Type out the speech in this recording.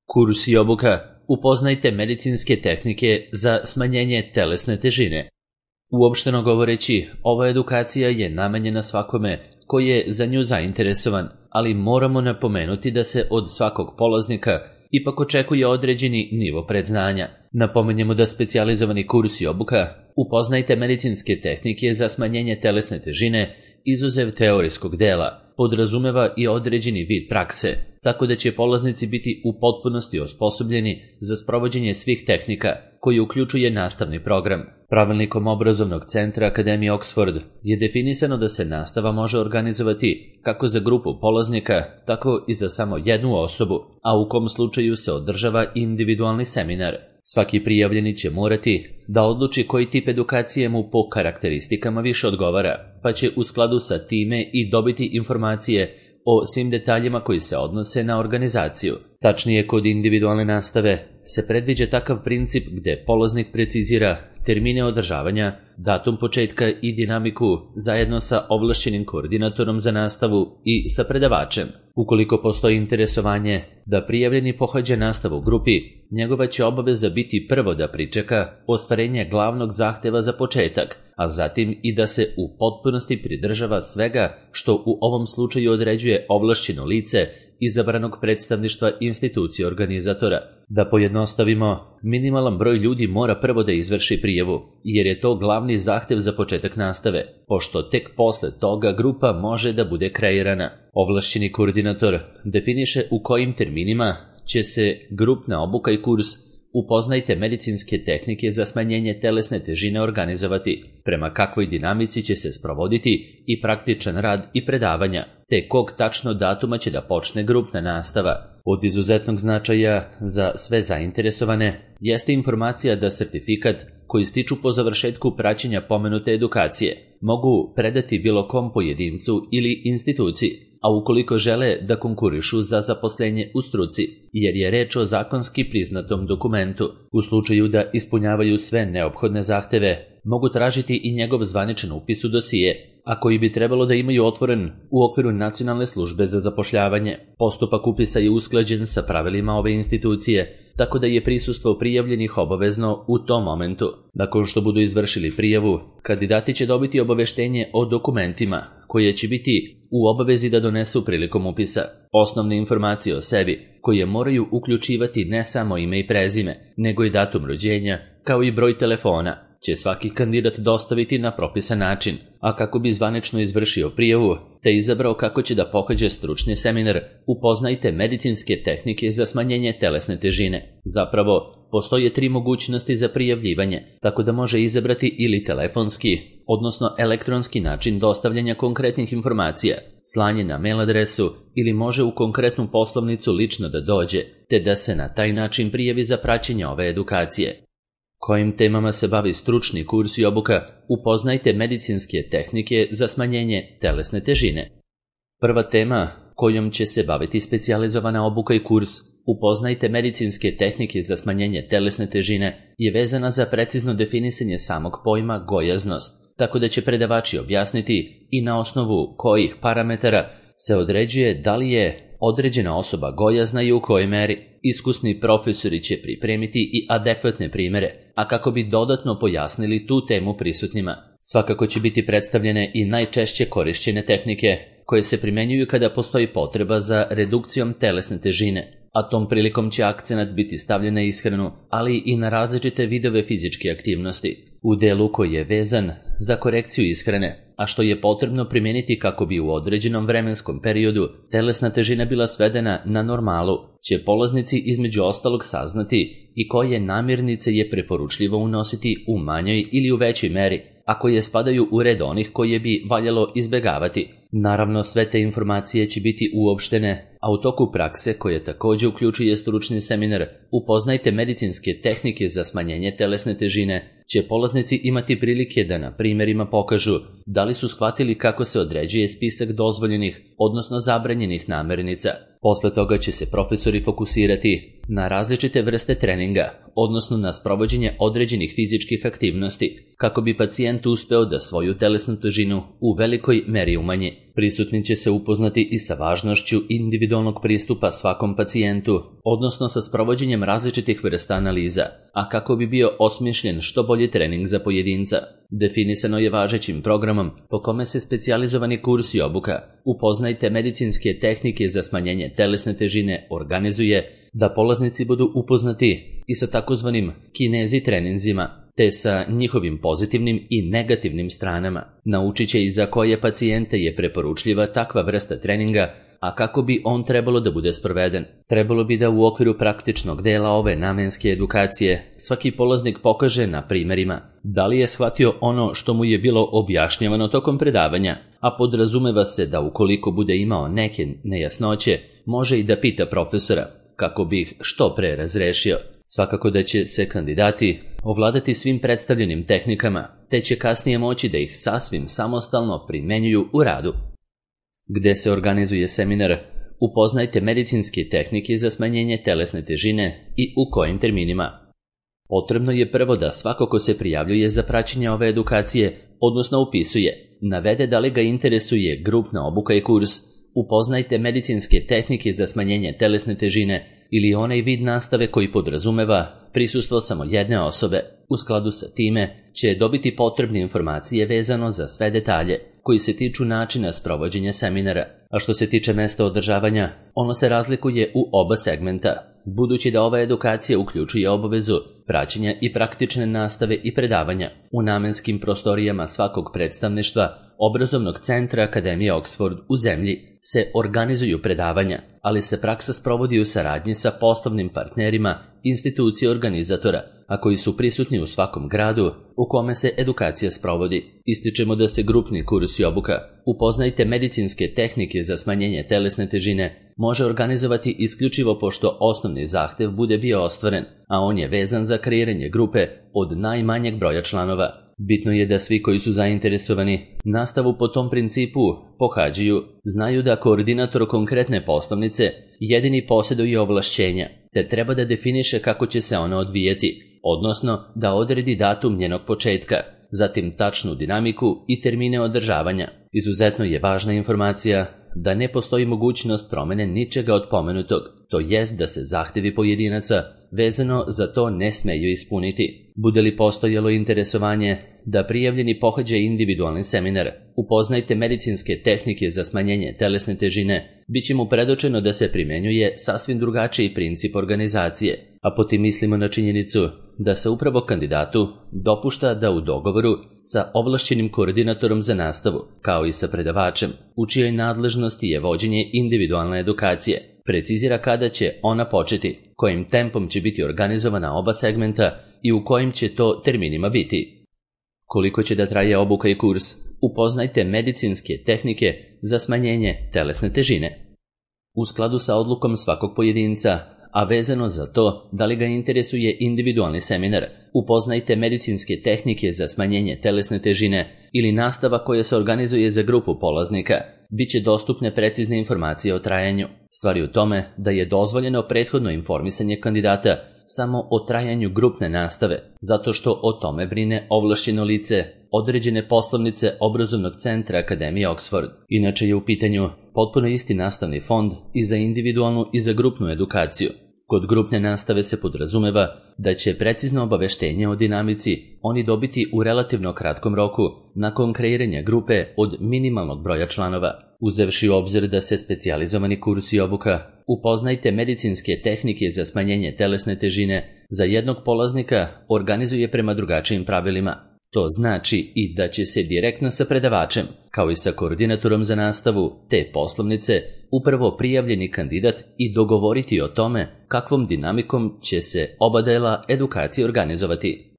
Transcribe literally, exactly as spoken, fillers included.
Kurs i obuka. Upoznajte medicinske tehnike za smanjenje telesne težine. Uopšteno govoreći, ova edukacija je namenjena svakome koji je za nju zainteresovan, ali moramo napomenuti da se od svakog polaznika ipak očekuje određeni nivo predznanja. Napomenjemo da specijalizovani kurs i obuka Upoznajte medicinske tehnike za smanjenje telesne težine, izuzev teorijskog dela, podrazumeva i određeni vid prakse, tako da će polaznici biti u potpunosti osposobljeni za sprovođenje svih tehnika, koji uključuje nastavni program. Pravilnikom obrazovnog centra Akademije Oxford je definisano da se nastava može organizovati kako za grupu polaznika, tako i za samo jednu osobu, a u kom slučaju se održava individualni seminar. Svaki prijavljeni će morati da odluči koji tip edukacije mu po karakteristikama više odgovara, pa će u skladu sa time i dobiti informacije o svim detaljima koji se odnose na organizaciju. Tačnije, kod individualne nastave se predviđa takav princip gde polaznik precizira termine održavanja, datum početka i dinamiku zajedno sa ovlašćenim koordinatorom za nastavu i sa predavačem. Ukoliko postoji interesovanje da prijavljeni pohađa nastavu u grupi, njegova će obaveza biti prvo da pričeka ostvarenje glavnog zahteva za početak, a zatim i da se u potpunosti pridržava svega što u ovom slučaju određuje ovlašćeno lice izabranog predstavništva institucije organizatora. Da pojednostavimo, minimalan broj ljudi mora prvo da izvrši prijavu, jer je to glavni zahtev za početak nastave, pošto tek posle toga grupa može da bude kreirana. Ovlašćeni koordinator definiše u kojim terminima će se grupna obuka i kurs Upoznajte medicinske tehnike za smanjenje telesne težine organizovati, prema kakvoj dinamici će se sprovoditi i praktičan rad i predavanja, te kog tačno datuma će da počne grupna nastava. Od izuzetnog značaja za sve zainteresovane jeste informacija da sertifikat koji stiču po završetku praćenja pomenute edukacije mogu predati bilo kom pojedincu ili instituciji, a ukoliko žele da konkurišu za zaposlenje u struci, jer je reč o zakonski priznatom dokumentu. U slučaju da ispunjavaju sve neophodne zahteve, mogu tražiti i njegov zvaničan upis u dosije, a koji bi trebalo da imaju otvoren u okviru Nacionalne službe za zapošljavanje. Postupak upisa je usklađen sa pravilima ove institucije, tako da je prisustvo prijavljenih obavezno u tom momentu. Nakon što budu izvršili prijavu, kandidati će dobiti obaveštenje o dokumentima, koje će biti u obavezi da donesu prilikom upisa. Osnovne informacije o sebi, koje moraju uključivati ne samo ime i prezime, nego i datum rođenja, kao i broj telefona, će svaki kandidat dostaviti na propisan način, a kako bi zvanično izvršio prijavu, te izabrao kako će da pohađa stručni seminar Upoznajte medicinske tehnike za smanjenje telesne težine. Zapravo, postoje tri mogućnosti za prijavljivanje, tako da može izabrati ili telefonski, odnosno elektronski način dostavljanja konkretnih informacija, slanje na mail adresu ili može u konkretnu poslovnicu lično da dođe, te da se na taj način prijavi za praćenje ove edukacije. Kojim temama se bavi stručni kurs i obuka Upoznajte medicinske tehnike za smanjenje telesne težine. Prva tema kojom će se baviti specijalizovana obuka i kurs Upoznajte medicinske tehnike za smanjenje telesne težine je vezana za precizno definisanje samog pojma gojaznost, tako da će predavači objasniti i na osnovu kojih parametara se određuje da li je određena osoba gojazna i u kojoj meri. Iskusni profesori će pripremiti i adekvatne primere, a kako bi dodatno pojasnili tu temu prisutnima. Svakako će biti predstavljene i najčešće korišćene tehnike koje se primenjuju kada postoji potreba za redukcijom telesne težine, a tom prilikom će akcenat biti stavljen na ishranu, ali i na različite vidove fizičke aktivnosti, u delu koji je vezan za korekciju ishrane, a što je potrebno primeniti kako bi u određenom vremenskom periodu telesna težina bila svedena na normalu, će polaznici između ostalog saznati i koje namirnice je preporučljivo unositi u manjoj ili u većoj meri, a koje spadaju u red onih koje bi valjalo izbegavati. Naravno, sve te informacije će biti uopštene, a u toku prakse, koje također uključuje stručni seminar Upoznajte medicinske tehnike za smanjenje telesne težine, će polaznici imati prilike da na primjerima pokažu da li su shvatili kako se određuje spisak dozvoljenih, odnosno zabranjenih namirnica. Posle toga će se profesori fokusirati na različite vrste treninga, odnosno na sprovođenje određenih fizičkih aktivnosti, kako bi pacijent uspeo da svoju telesnu težinu u velikoj meri umanji. Prisutni će se upoznati i sa važnošću individualnog pristupa svakom pacijentu, odnosno sa sprovođenjem različitih vrsta analiza, a kako bi bio osmišljen što bolji trening za pojedinca. Definisano je važećim programom po kome se specijalizovani kurs i obuka Upoznajte medicinske tehnike za smanjenje telesne težine organizuje da polaznici budu upoznati i sa takozvanim kinezi treninzima, te sa njihovim pozitivnim i negativnim stranama. Naučit će i za koje pacijente je preporučljiva takva vrsta treninga, a kako bi on trebalo da bude sproveden. Trebalo bi da u okviru praktičnog dela ove namenske edukacije svaki polaznik pokaže na primerima da li je shvatio ono što mu je bilo objašnjavano tokom predavanja, a podrazumeva se da ukoliko bude imao neke nejasnoće, može i da pita profesora, kako bi ih što pre razrešio. Svakako da će se kandidati ovladati svim predstavljenim tehnikama, te će kasnije moći da ih sasvim samostalno primenjuju u radu. Gde se organizuje seminar Upoznajte medicinske tehnike za smanjenje telesne težine i u kojim terminima. Potrebno je prvo da svako ko se prijavljuje za praćenje ove edukacije, odnosno upisuje, navede da li ga interesuje grupna obuka i kurs Upoznajte medicinske tehnike za smanjenje telesne težine ili onaj vid nastave koji podrazumeva prisustvo samo jedne osobe. U skladu sa time će dobiti potrebne informacije vezano za sve detalje koji se tiču načina sprovođenja seminara. A što se tiče mesta održavanja, ono se razlikuje u oba segmenta, budući da ova edukacija uključuje obavezu praćenja i praktične nastave i predavanja u namenskim prostorijama svakog predstavništva obrazovnog centra Akademije Oxford u zemlji se organizuju predavanja, ali se praksa sprovodi u saradnji sa poslovnim partnerima institucije organizatora, a koji su prisutni u svakom gradu u kome se edukacija sprovodi. Ističemo da se grupni kurs i obuka Upoznajte medicinske tehnike za smanjenje telesne težine može organizovati isključivo pošto osnovni zahtev bude bio ostvaren, a on je vezan za kreiranje grupe od najmanjeg broja članova. Bitno je da svi koji su zainteresovani nastavu po tom principu pohađaju, znaju da koordinator konkretne poslovnice jedini posjeduje ovlašćenja, te treba da definiše kako će se ona odvijeti, odnosno da odredi datum njenog početka, zatim tačnu dinamiku i termine održavanja. Izuzetno je važna informacija da ne postoji mogućnost promene ničega od pomenutog, to jest da se zahtevi pojedinaca vezano za to ne smeju ispuniti. Bude li postojalo interesovanje da prijavljeni pohađa individualni seminar Upoznajte medicinske tehnike za smanjenje telesne težine, bit će mu predočeno da se primenjuje sasvim drugačiji princip organizacije, a po tim mislimo na činjenicu da se upravo kandidatu dopušta da u dogovoru sa ovlašćenim koordinatorom za nastavu, kao i sa predavačem, u čijoj nadležnosti je vođenje individualne edukacije, precizira kada će ona početi, kojim tempom će biti organizovana oba segmenta i u kojim će to terminima biti. Koliko će da traje obuka i kurs Upoznajte medicinske tehnike za smanjenje telesne težine. U skladu sa odlukom svakog pojedinca, a vezano za to da li ga interesuje individualni seminar Upoznajte medicinske tehnike za smanjenje telesne težine ili nastava koja se organizuje za grupu polaznika, bit će dostupne precizne informacije o trajanju. Stvar je u tome da je dozvoljeno prethodno informisanje kandidata samo o trajanju grupne nastave, zato što o tome brine ovlašćeno lice određene poslovnice obrazovnog centra Akademije Oxford. Inače je u pitanju potpuno isti nastavni fond i za individualnu i za grupnu edukaciju. Kod grupne nastave se podrazumeva da će precizno obaveštenje o dinamici oni dobiti u relativno kratkom roku nakon kreiranja grupe od minimalnog broja članova. Uzevši u obzir da se specijalizovani kurs i obuka Upoznajte medicinske tehnike za smanjenje telesne težine za jednog polaznika organizuje prema drugačijim pravilima. To znači i da će se direktno sa predavačem, kao i sa koordinatorom za nastavu te poslovnice, upravo prijavljeni kandidat i dogovoriti o tome kakvom dinamikom će se oba dela edukacije organizovati.